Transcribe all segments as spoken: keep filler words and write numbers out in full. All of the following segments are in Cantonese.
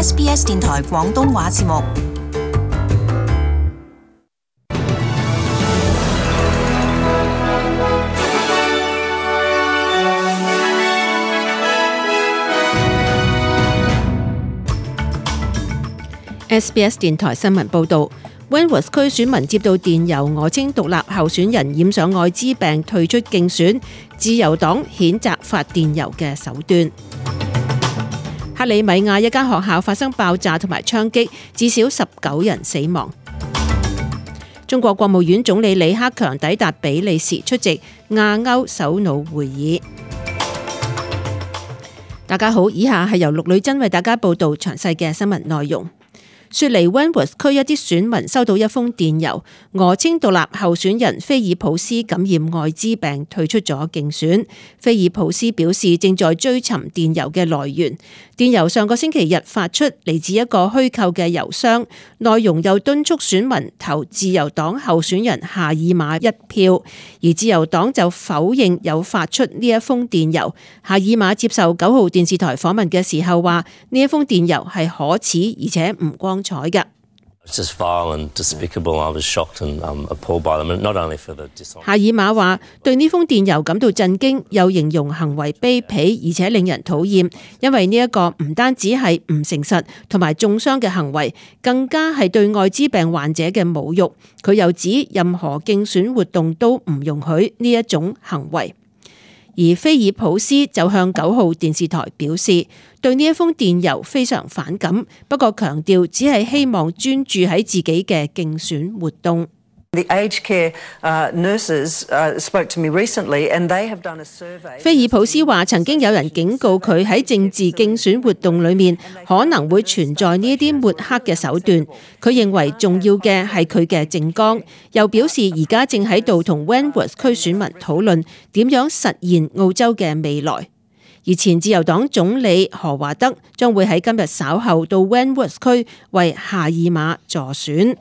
S B S 電台廣東話節目。S B S 電台新聞報導。Wentworth 區選民接到電郵，訛稱獨立候選人染上愛滋病退出競選，自由黨譴責發電郵嘅手段。克里米亞一間學校發生爆炸同埋槍擊，至少十九人死亡。中國國務院總理李克強抵達比利時出席亞歐首腦會議。大家好，以下係由陸女真為大家報道詳細嘅新聞內容。雪梨 Wentworth 區一啲選民收到一封電郵，訛稱獨立候選人菲爾普斯感染愛滋病退出咗競選。菲爾普斯表示正在追尋電郵嘅來源。電郵上個星期日發出，嚟自一個虛構嘅郵箱，內容又敦促選民投自由黨候選人夏爾馬一票，而自由黨就否認有發出呢一封電郵。夏爾馬接受九號電視台訪問嘅時候話，呢一封電郵係可恥而且唔光彩嘅。夏爾馬話對呢封電郵感到震驚，又形容行為卑鄙而且令人討厭，因為呢一個唔單止係唔誠實同埋中傷嘅行為，更加係對愛滋病患者嘅侮辱。佢又指任何競選活動都唔容許呢一種行為。而菲爾普斯就向九號電視台表示，對呢一封電郵非常反感，不過強調只係希望專注喺自己嘅競選活動。The aged care nurses spoke to me recently, and they have done a survey. 菲爾普斯話，曾經有人警告佢喺政治競選活動裏面可能會存在呢一啲抹黑嘅手段。佢認為重要嘅係佢嘅政綱，又表示而家正喺度同 Wentworth 區選民討論點樣實現澳洲嘅未來。而前自由黨總理何華德將會喺今日稍後到 Wentworth 區為夏爾馬助選。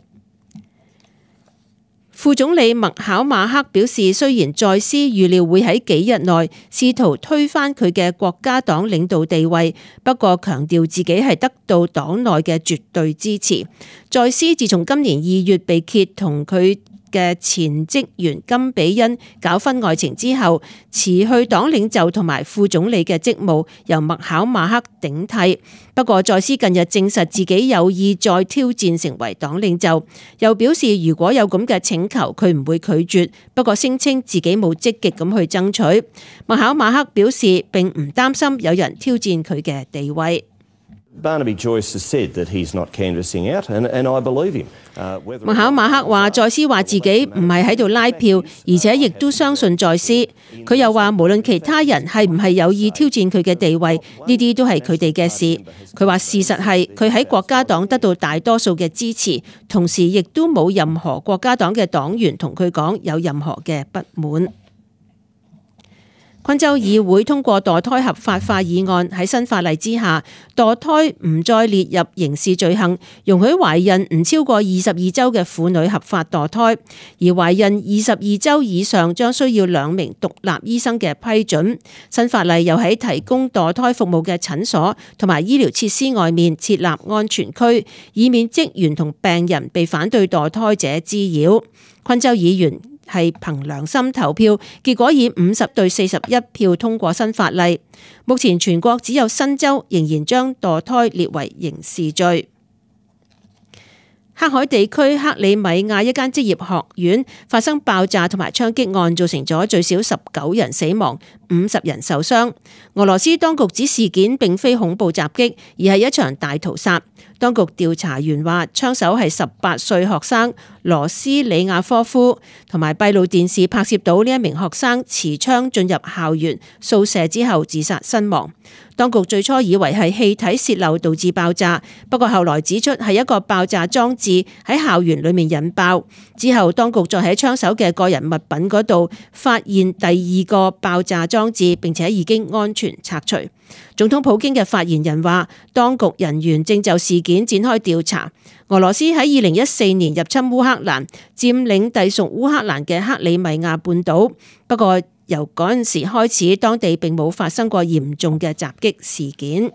副總理麥考馬克表示，雖然在斯預料會喺幾日內試圖推翻佢嘅國家黨領導地位，不過強調自己係得到黨內嘅絕對支持。在斯自從今年二月被揭同佢嘅前職員金比恩搞婚外情之後，辭去黨領袖同埋副總理嘅職務，由麥考馬克頂替。不過在斯近日證實自己有意再挑戰成為黨領袖，又表示如果有咁嘅請求，佢唔會拒絕。不過聲稱自己冇積極咁去爭取。麥考馬克表示並唔擔心有人挑戰佢嘅地位。Barnaby Joyce has said that he's not canvassing out, and, and I believe him. 麥考馬克話，在斯話自己唔係喺度拉票，而且亦都相信在斯。佢又話，無論其他人係唔係有意挑戰佢嘅地位，呢啲都係佢哋嘅事。佢話事實係佢喺國家黨得到大多數嘅支持，同時亦都冇任何國家黨嘅黨員同佢講有任何嘅不滿。昆州議會通過墮胎合法化議案，喺新法例之下，墮胎唔再列入刑事罪行，容許懷孕唔超過二十二周嘅婦女合法墮胎，而懷孕二十二周以上將需要兩名獨立醫生嘅批准。新法例又喺提供墮胎服務嘅診所同埋醫療設施外面設立安全區，以免職員同病人被反對墮胎者滋擾。昆州議員係憑良心投票，結果以五十對四十一票通過新法例。目前全國只有新州仍然將墮胎列為刑事罪。黑海地區克里米亞一間職業學院發生爆炸同埋槍擊案，造成咗最少十九人死亡，五十人受傷。俄羅斯當局指事件並非恐怖襲擊，而係一場大屠殺。當局調查員話，槍手係十八歲學生羅斯里亞科夫，同埋閉路電視拍攝到呢一名學生持槍進入校園掃射之後自殺身亡。當局最初以為係氣體洩漏導致爆炸，不過後來指出係一個爆炸裝置喺校園裏面引爆。之後當局再喺槍手嘅個人物品嗰度發現第二個爆炸裝置，並且已經安全拆除。總統普京嘅發言人話，當局人員正就事件展開調查。俄羅斯喺二零一四年入侵烏克蘭，佔領隸屬烏克蘭嘅克里米亞半島。不過由嗰陣時開始，當地並冇發生過嚴重嘅襲擊事件。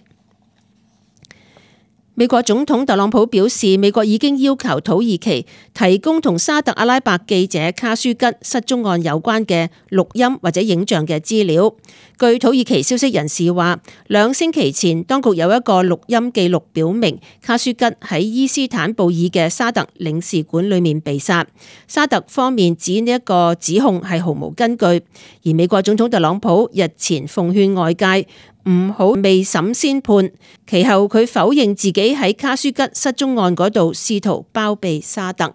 美國總統特朗普表示，美國已經要求土耳其提供同沙特阿拉伯記者卡舒吉失蹤案有關嘅錄音或者影像嘅資料。據土耳其消息人士話，兩星期前當局有一個錄音記錄表明卡舒吉喺伊斯坦布爾嘅沙特領事館裏面被殺。沙特方面指呢一個指控係毫無根據，而美國總統特朗普日前奉勸外界唔好未審先判，其後佢否認自己喺卡舒吉失蹤案嗰度試圖包庇沙特。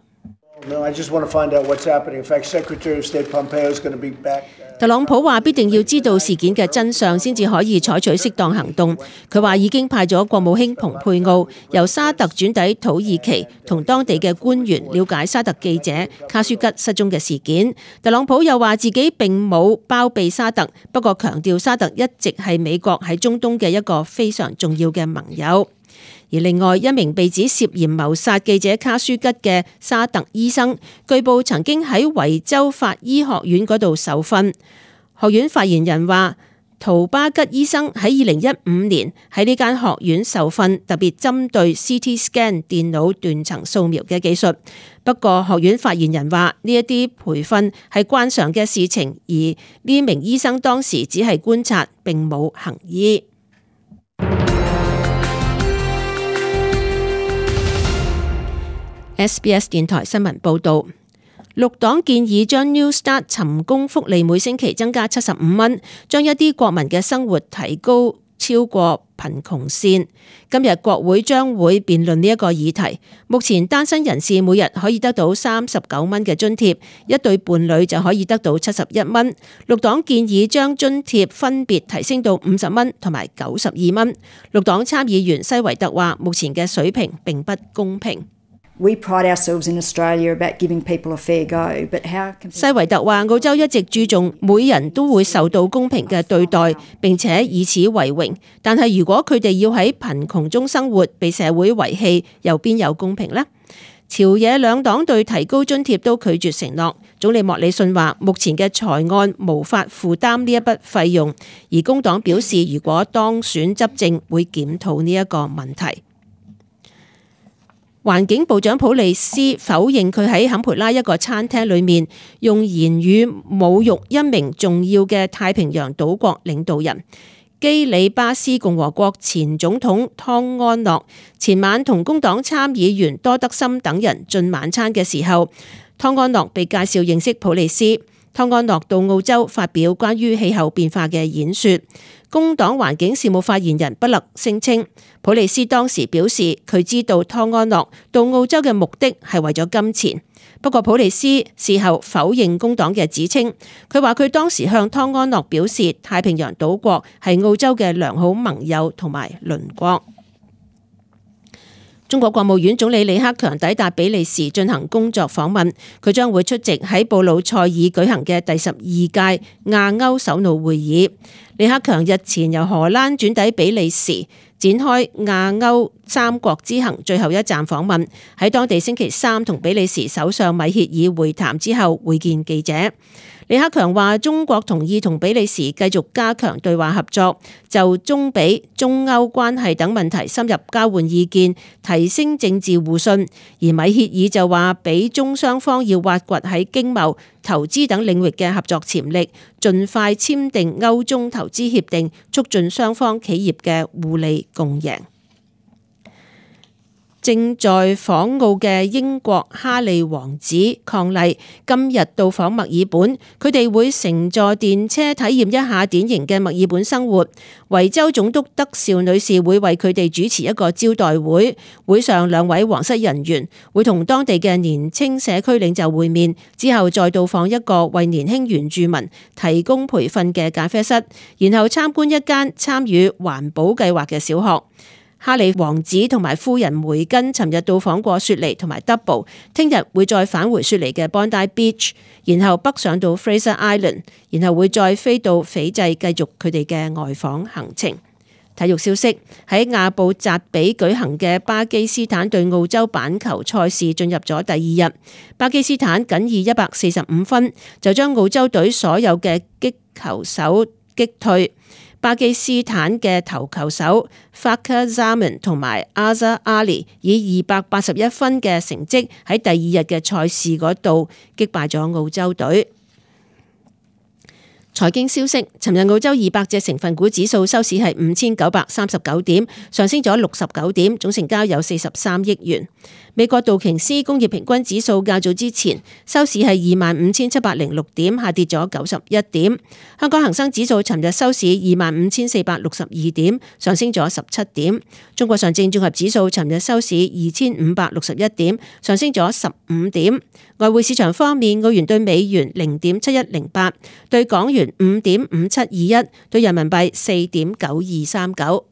特朗普話必定要知道事件嘅真相先至可以採取適當行動。佢話已經派咗國務卿蓬佩奧由沙特轉抵土耳其，同當地嘅官員了解沙特記者卡舒吉失蹤嘅事件。特朗普又話自己並冇包庇沙特，不過強調沙特一直係美國喺中東嘅一個非常重要嘅盟友。而另外一名被指涉嫌謀殺記者卡舒吉嘅沙特醫生，據報曾經喺維州法醫學院嗰度受訓。學院發言人話，圖巴吉醫生喺二零一五年喺呢間學院受訓，特別針對 C T scan 電腦斷層掃描嘅技術。不過學院發言人話，呢一啲培訓係慣常嘅事情，而呢名醫生當時只係觀察，並冇行醫。S B S 電台新聞報導，綠黨建議將 New Start 尋工福利每星期增加七十五蚊，將一啲國民嘅生活提高超過貧窮線。今日國會將會辯論呢一個議題。目前單身人士每日可以得到三十九蚊嘅津貼，一對伴侶就可以得到七十一蚊。綠黨建議將津貼分別提升到五十蚊同埋九十二蚊。綠黨參議員西維特話，目前嘅水平並不公平。We pride ourselves in Australia about giving people a fair go, but how can... 西維特話，澳洲一直注重每人都會受到公平嘅對待，並且以此為榮。但係如果佢哋要喺貧窮中生活，被社會遺棄，又邊有公平呢？朝野兩黨對提高津貼都拒絕承諾。總理莫里遜話，目前嘅財案無法負擔呢一筆費用，而工黨表示，如果當選執政，會檢討呢一個問題。環境部長普利斯否認佢喺坎培拉一個餐廳裏面用言語侮辱一名重要嘅太平洋島國領導人。基里巴斯共和國前總統湯安諾前晚同工黨參議員多德森等人進晚餐嘅時候，湯安諾被介紹認識普利斯。湯安諾到澳洲發表關於氣候變化嘅演說。工黨環境事務發言人不勒聲稱，普利斯當時表示佢知道湯安諾到澳洲嘅目的係為咗金錢。不過普利斯事後否認工黨嘅指稱，佢話佢當時向湯安諾表示，太平洋島國係澳洲嘅良好盟友同埋鄰國。中國國務院總理李克強抵達比利時進行工作訪問，佢將會出席喺布魯塞爾舉行嘅第十二屆亞歐首腦會議。李克強日前由荷蘭轉抵比利時，展開亞歐三國之行最後一站訪問，喺當地星期三同比利時首相米歇爾會談之後會見記者。李克強話，中國同意同比利時繼續加強對話合作，就中比、中歐關係等問題深入交換意見，提升政治互信。而米歇爾就話，比中雙方要挖掘喺經貿、投資等領域嘅合作潛力，盡快簽訂歐中投資協定，促進雙方企業嘅互利共贏。正在訪澳嘅英國哈利王子伉儷今日到訪墨爾本，佢哋會乘坐電車體驗一下典型嘅墨爾本生活。維州總督德兆女士會為佢哋主持一個招待會，會上兩位皇室人員會同當地嘅年輕社區領袖會面，之後再到訪一個為年輕原住民提供培訓嘅咖啡室，然後參觀一間參與環保計劃嘅小學。哈利王子同埋夫人梅根尋日到訪過雪梨同埋 Double， 聽日會再返回雪梨嘅 Bondi Beach， 然後北上到 Fraser Island， 然後會再飛到斐濟繼續佢哋嘅外訪行程。體育消息，喺亞布扎比舉行嘅巴基斯坦對澳洲板球賽事進入咗第二日，巴基斯坦僅以一百四十五分就將澳洲隊所有嘅擊球手擊退。巴基斯坦嘅頭球手 Fakhar Zaman 同埋 Azhar Ali 以二百八十一分嘅成績喺第二日嘅賽事嗰度擊敗咗澳洲隊。財經消息，尋日澳洲二百隻成分股指數收市係五千九百三十九點，上升咗六十九點，總成交有四十三億元。美國道瓊斯工業平均指數較早之前收市係二萬五千七百零六點，下跌咗九十一點。香港恒生指數尋日收市二萬五千四百六十二點，上升咗十七點。中國上證綜合指數尋日收市二千五百六十一點，上升咗十五點。外匯市場方面，澳元對美元零點七一零八，對港元五點五七二一，對人民幣四點九二三九。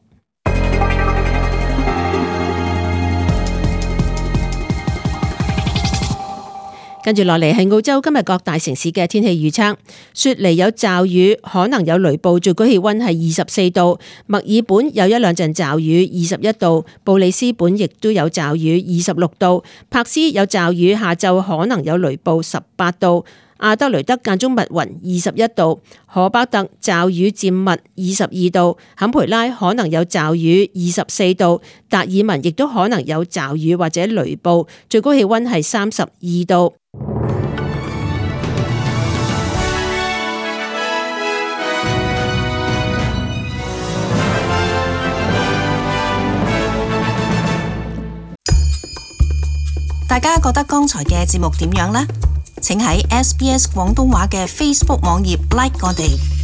跟住落嚟係澳洲今日各大城市嘅天氣預測。雪梨有驟雨，可能有雷暴，最高氣溫係二十四度。墨爾本有一兩陣驟雨，二十一度。布里斯本亦都有驟雨，二十六度。柏斯有驟雨，下晝可能有雷暴，十八度。阿德雷德間中密雲，二十一度。荷巴特驟雨漸密，二十二度。坎培拉可能有驟雨，二十四度。達爾文亦都可能有驟雨或者雷暴，最高氣溫係三十二度。大家覺得剛才嘅節目點樣呢？請喺 S B S 廣東話嘅 Facebook 網頁 like 我哋。